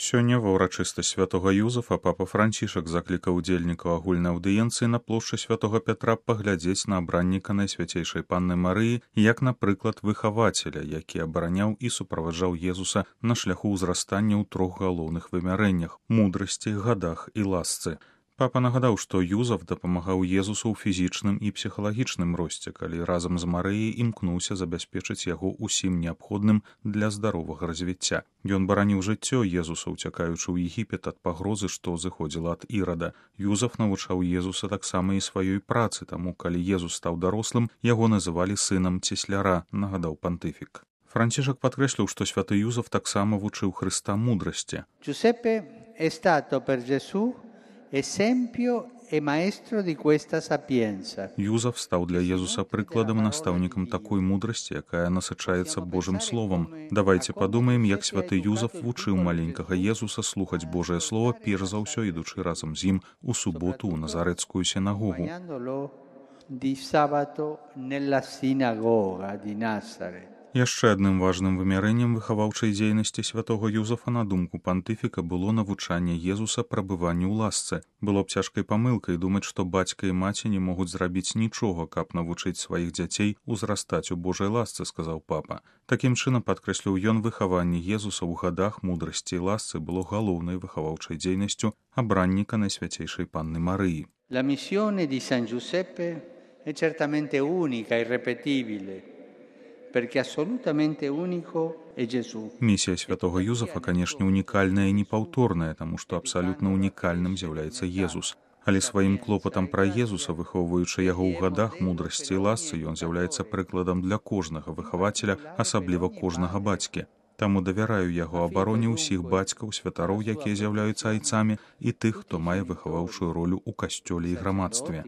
Сёння ва ўрачыстасць святога Юзафа папа Францішак заклікаў удзельнікаў агульнай аўдыенцыі на плошчы святога Пятра паглядзець на абранніка Найсвяцейшай Панны Марыі як, напрыклад, выхавацеля, які абараняў і суправаджаў Езуса на шляху ўзрастання ў трох галоўных вымярэннях – мудрасці, гадах і ласцы. Папа нагадаў, што Юзаф дапамагаў Езусу ў фізічным і псіхалагічным росце, калі разам з Марыяй імкнуўся забяспечыць яго ўсім неабходным для здаровага развіцця. Ён бараніў жыццё Езуса, уцякаючы ў Егіпет ад пагрозы, што зыходзіла ад Ірада. Юзаф навучаў Езуса таксама і сваёй працы, таму калі Езус стаў дарослым, яго называлі сынам цесляра, нагадаў пантыфік. Францішак падкрэсліў, што святы Юзаф таксама вучыў Хрыста мудрасці. Giuseppe è stato per Gesù esempio e maestro di questa sapienza. Юзаф стаў для Езуса прыкладам і настаўнікам такой мудрасці, якая насычаецца Божым словам. Давайце падумаем, як святы Юзаф вучыў маленькага Езуса слухаць Божае слово, перш за ўсё ідучы разам з ім у суботу ў Назарэцкую сінагогу. Di sabato nella sinagoga di Nazaret. Яшчэ адным важным вымярэннем выхаваўчай дзейнасці святога Юзафа, на думку пантыфіка, было навучанне Езуса прабыванню ў ласцы. Было б цяжкай памылкай думаць, што бацька і маці не могуць зрабіць нічога, каб навучыць сваіх дзяцей узрастаць у Божай ласцы, сказаў папа. Такім чынам, падкрэсліў ён, выхаванне Езуса ў гадах, мудрасці і ласцы было галоўнай выхаваўчай дзейнасцю абранніка Найсвяцейшай Панны Марыі. La missione di San Giuseppe è certamente unica, irrepetibile. Місія святого Юзафа, канешне, унікальная і непаўторная, таму што абсалютна унікальным з'яўляецца Езус. Але сваім клопатам пра Езуса, выхоўваючы яго ў гадах, мудрасці і ласцы, ён з'яўляецца прыкладам для кожнага выхавацеля, асабліва кожнага бацькі. Таму давяраю яго абароне ўсіх бацькаў, святароў, якія з'яўляюцца айцамі, і тых, хто мае выхаваўчую ролю ў касцёле і грамадстве.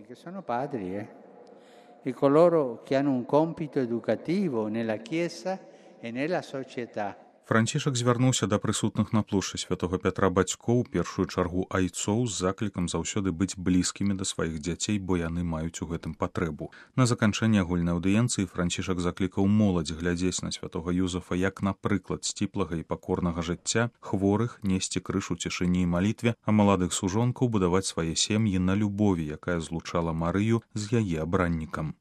E coloro che hanno un compito educativo nella Chiesa e nella società. Францішак звярнуўся да прысутных на плошчы святога Пятра бацькоў, першую чаргу айцоў, з заклікам заўсёды быць блізкімі да сваіх дзяцей, бо яны маюць у гэтым патрэбу. На заканчэнне агульнай аўдыенцыі Францішак заклікаў моладзь глядзець на святога Юзафа як на прыклад сціплага і пакорнага жыцця, хворых несці крыж у цішыні і малітве, а маладых сужонкаў будаваць свае сем'і на любові, якая злучала Марыю з яе абраннікам.